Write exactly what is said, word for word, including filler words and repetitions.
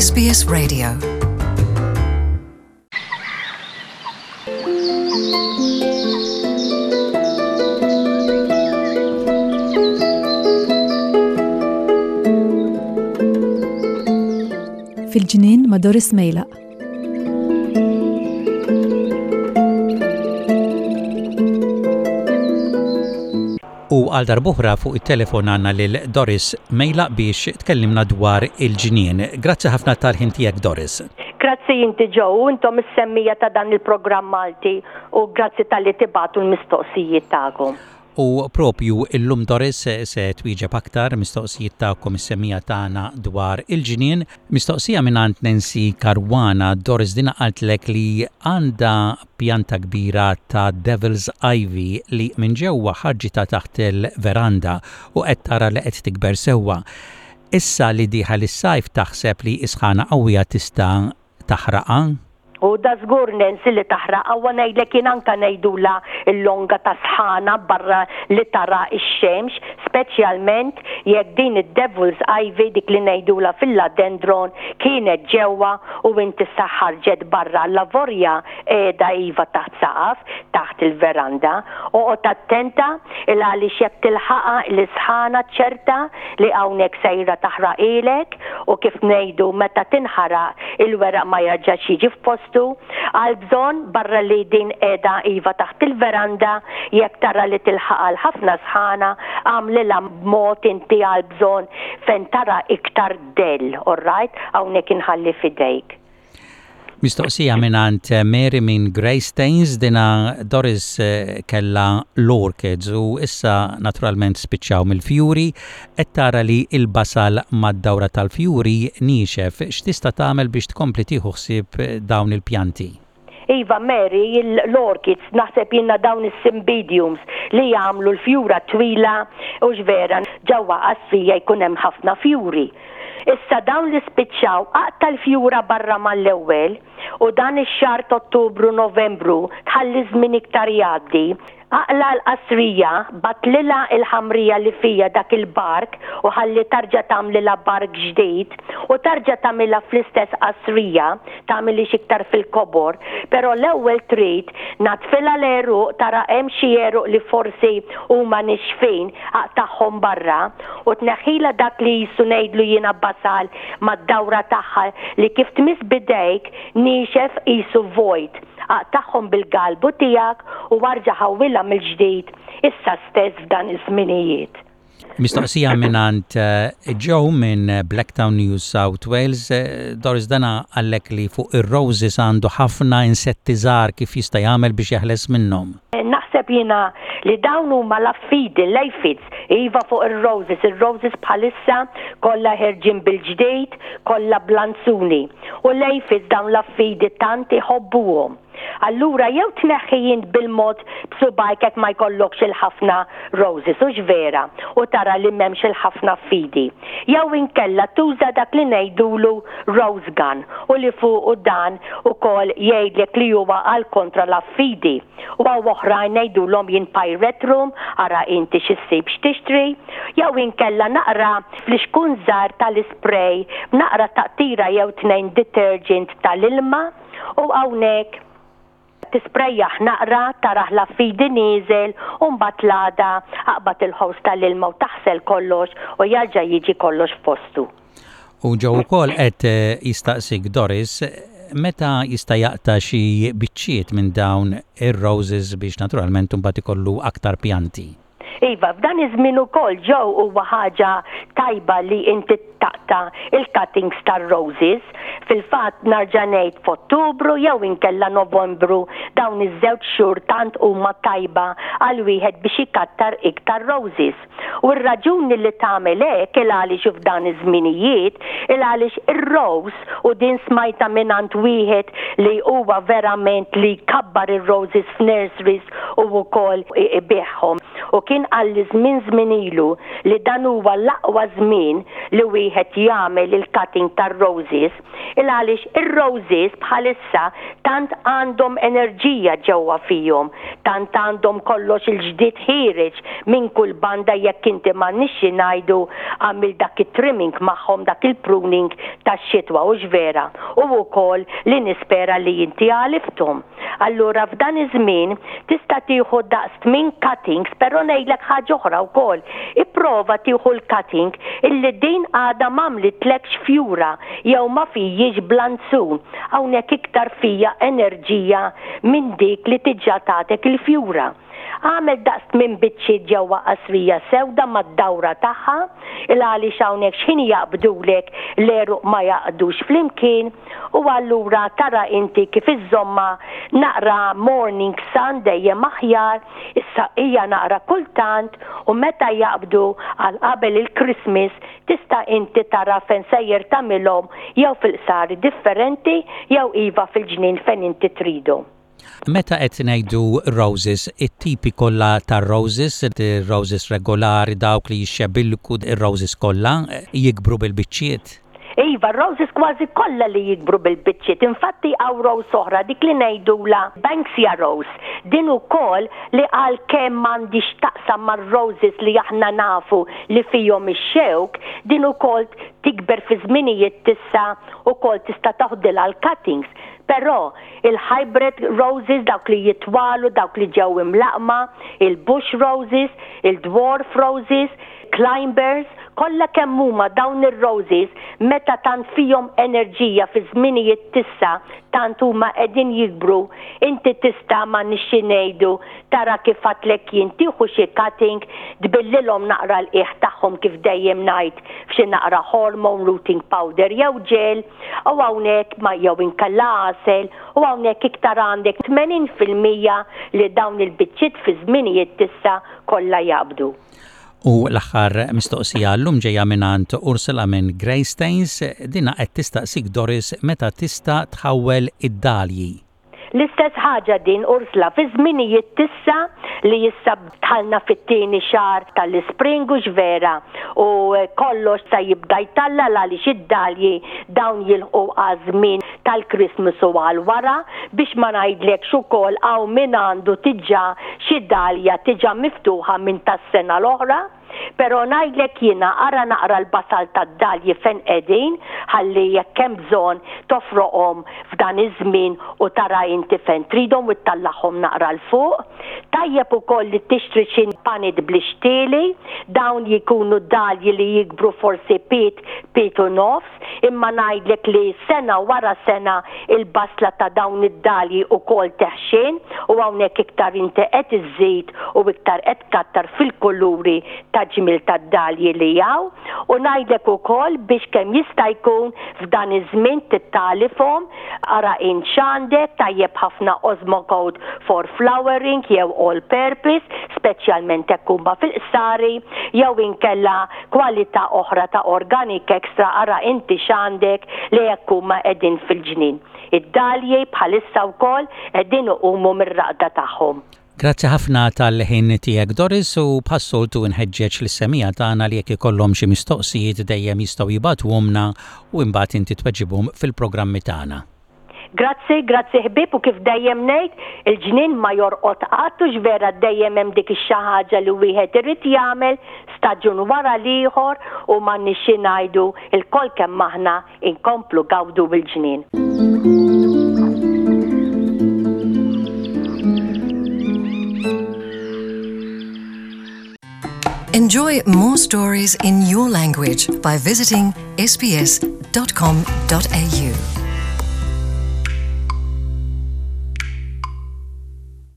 S B S Radio. Fil-ġnien ma' Doris Mejlaq. U għal darb'oħra fuq it-telefon għandna lil Doris Mejlaq biex tkellimna dwar il-ġnien. Grazzi ħafna tal-ħin tiegħek, Doris. Grazzi inti, Joe, intom is-semmiegħa ta' dan il-programm Malti, u grazzi talli tibagħtu l-mistoqsijiet tagħkom. U propju illum, Doris, se twieġeb aktar mistoqsijiet tagħkom, is-semmiegħa tagħna, dwar il-ġnien. Mistoqsija minn Nancy Caruana, Doris. Dina qaltlek li għandha pjanta kbira ta' Devil's Ivy li minn ġewwa ħarġitha taħt il-veranda u qed tara li qed tikber sewwa. Issa li dieħel is-sajf, taħseb li isħana qawwija tista' taħraqa? U da żgur, Nancy, li taħraq. Għawa ngħidlek jien, anka ngħidula l-longa ta' sħana barra li tara ix-xemx, speċjalment jekk din id-Devil's Ivy, dik li ngħidula philodendron, kienet ġewwa u inti ħarġet barra. Avolja qiegħda iva taħt saqaf, taħt il-veranda. Oqgħod attenta, il għaliex jekk tilħaqa l-isħana, ċerta li hawnhekk sejra taħraqilek, u kif ngħidu, meta tinħaraq il-weraq ma jerġax jiġi f'postu. Għal bżonn, barra li din qiegħda iva taħt il-veranda, jekk tara li tilħaq għal ħafna sħana, għamlilha b'mod inti għal bżonn fejn tara iktar dell, alright? Hawnhekk inħalli fidejk. Mistoqsija minn Mary minn Greystanes. Dina, Doris, kella l-orchids u issa naturalment spiċċaw mill-fjuri, qed tara li il-basal mad-dawra tal-fjuri nixef. X'tista' tagħmel biex tkompli tieħu ħsieb dawn il-pjanti? Iva Mary, l-orchids, naħseb jiena dawn is-cymbidiums li jagħmlu l-fjura twila u vera ġewwa qasrija jkun hemm ħafna fjuri. Issa dawn li spiċċaw, aqta' l-fjura barra mal-ewwel, u dan ix-xahar Ottubru, Novembru, tħalli żmien iktar jgħaddi. Aqla' l-qasrija, battlilha il-ħamrija li fija dak il-bark u ħalli tarġa tagħmlilha bark ġdid u tarġa tagħmilha fl-istess qasrija, tagħmilix iktar fil-kobor, però l-ewwel trid naddfilha l-għeruq, tara hemm xi għeruq li forsi huma nixfin, aqtagħhom barra u tneħħila dak li jisu ngħidlu jiena basal mad-dawra tagħha li kif tmiss bidejk nixef qisu vojt. Aqtagħhom bil-galbu tiegħek u arġa' ħawwilha mill-ġdid issa stess f'dan iż-żminijiet. Mistoqsija minn Joe minn Blacktown, New South Wales. Doris, dana qallek li fuq ir-roses għandu ħafna insetti żgħar, kif jista' jagħmel biex jeħles minnhom? Naħseb jiena li dawn huma l-affidi, l-aphids, iva, fuq ir-roses. Ir-roses bħalissa kollha ħerġin bil-ġdid, kollha blanzuni. U l-aphids, dawn l-affidi, tant iħobbuhom. Allura jew tneħħi int bil-mod b'subgħajk jekk ma jkollokx il-ħafna roses, u vera, u tara li m'hemmx il-ħafna fidi. Jew inkella tuża dak li ngħidulu rose gun, u li fuq u dan ukoll jgħidlek li huwa għal kontra l-affidi. U hawn oħrajn ngħidulhom jien pyrethrum, ara inti x'issib x'tixtri, jew inkella naqra flixkun żgħar tal-spray, naqra taqtira jew tnejn detergent tal-ilma, u hawnhekk tisprejjaħ naqra, tarah l-affidi nieżel, u mbagħad l-għada aqbad il-hose tal-ilma u taħsel kollox u jarġa' jiġi kollox f'postu. U Joe ukoll qed jistaqsik, Doris, meta jista' jaqta' xi biċċiet minn dawn ir-roses biex naturalment imbagħad ikollu aktar pjanti. Iva, f'dan iż-żmien ukoll, Joe, huwa ħaġa tajba li inti taqta' il-cuttings tar-roses. Fil-fatt narġa' ngħid, f'Ottubru jew inkella Novembru, dawn iż-żewġ xhur tant huma tajba għal wieħed biex ikattar iktar roses. U r-raġuni li tagħmel hekk, il għaliex f'dan iż-żminijiet, il għaliex ir-rose, u din smajta mingħand wieħed li huwa verament li kabbar ir-roses f'nurseries u wkoll ibigħhom. U kien qalli żmien żmien ilu li dan huwa l-aqwa żmien li wieħed jagħmel il-cutting tar-roses, il għaliex ir-roses bħalissa tant għandhom enerġija ġewwa fihom, tant għandhom kollox il-ġdid ħiereġ minn kull banda jekk inti m'għandniex ngħidu għamil dak it-trimming magħhom, dak il-pruning tax-xitwa, u vera, u wkoll li nispera li inti għalifthom. Allura f'dan iż-żmien tista' tieħu daqs tmien cuttings, però ngħidlek ħaġa oħra wkoll. Ipprova tieħu l-cutting illi din għadha m'għamlitlekx fjura jew ma fijiex blanzun. Hawnhekk iktar fija enerġija minn dik li diġà tatek il-fjura. Għamel daqs tmien biċċiet ġewwa qasrija sewda mad-dawra tagħha, il għaliex hawnhekk x'ħin jaqbdulek l-għeruq ma jaqdux flimkien, u allura tara inti kif iżżomma naqra morning sun dejjem aħjar, issa hija naqra kultant, u meta jaqbdu għal qabel il-Christmas tista' inti tara fejn sejjer tagħmilhom, jew fil-qsari differenti jew iva fil-ġnien fejn inti tridu. Meta qed ngħidu roses, it-tipi kollha tar-roses, ir-roses regolari, dawk li jixxebilku, ir-roses kollha jikbru bil-biċċiet? Iva, roses kważi kollha li jikbru bil-biċċiet. Infatti hawn rose oħra, dik li ngħidula Banksia rose. Din ukoll li għalkemm m'għandix taqsam mar-roses li aħna nafu li fihom ix-xewk, din ukoll tikber fi żminijiet tissa ukoll tista' taħdilha l-cuttings. Però il-hybrid roses, dawk li jitwalu, dawk li ġew imlaqma, il-bush roses, il-dwarf roses, climbers, kollha kemm huma dawn ir-roses meta tant fihom enerġija fi żminijiet tissa tant huma qegħdin jikbru, inti tista' ma nixxi ngħidu tara kif għedtlek jien tieħu xi cutting, tbillilhom naqra l-qiegħ tagħhom kif dejjem ngħid f'xi naqra hormone rooting powder jew gel, u hawnhekk ma jew inkella għasel, u hawnhekk iktar għandek tmenin fil-mija li dawn il-biċċiet fi żminijiet tissa kollha jaqbdu. U l-aħħar mistoqsija llum ġejja mingħand Ursula minn Greystanes, dina qed tistaqsik Doris meta tista' tħawwel id-dalji. L-istess ħaġa din Ursula fi żminijiet tissa li issa dħalna fit-tieni xahar tal-ispring u vera u kollox sa jibda jtalla għaliex id-dalji dawn jilħqu għaż-żmien tal-Christmas u għal wara, biex ma ngħidlekx ukoll hawn min għandu diġà xi dalja diġà miftuħa minn tas-sena l-oħra. Però ngħidlek jiena ara naqra l-basal tad-dalji fejn qegħdin, ħalli jekk hemm bżonn tofroqhom f'dan iż-żmien u tara inti fejn tridhom u ttallahom naqra 'l fuq. Tajjeb ukoll li tixtri xi punnet bl-ixtieli, dawn jikunu dalji li jikbru forsi pied, pied u nofs, imma ngħidlek li sena wara sena il-basla ta' dawn id-dalji ukoll teħxin u hawnhekk iktar inti qed iżżid u iktar qed tkattar fil-kuluri ta' ġmiel tad-dalji li hawn. U ngħidlek ukoll biex kemm jista' jkun f'dan iż-żmien tittalifhom, ara int x'għandek, tajjeb ħafna Osmocote for flowering jew all purpose, speċjalment hekk huma fil-qsari, jew inkella kwalità oħra ta' organic extra, ara inti x'għandek li jekk huma qegħdin fil-ġnien. Id-dalji bħalissa wkoll qegħdin iqumu mir-raqda tagħhom. Grazzi ħafna tal-ħin tiegħek Doris, u bħas-soltu nħeġġeġ lis-semmiegħa tagħna li jekk ikollhom xi mistoqsijiet dejjem jistgħu jibagħtuhomlna u imbagħad inti tweġibhom fil-programmi tagħna. Grazzi, grazzi ħbieb, u kif dejjem ngħid, il-ġnien ma jorqod qatt u x'vera dejjem hemm dik ix-xi ħaġa li wieħed irid jagħmel staġun wara l-ieħor u m'għandniex xi ngħidu lkoll kemm aħna inkomplu gawdu bil-ġnien. Enjoy more stories in your language by visiting S B S dot com dot A U.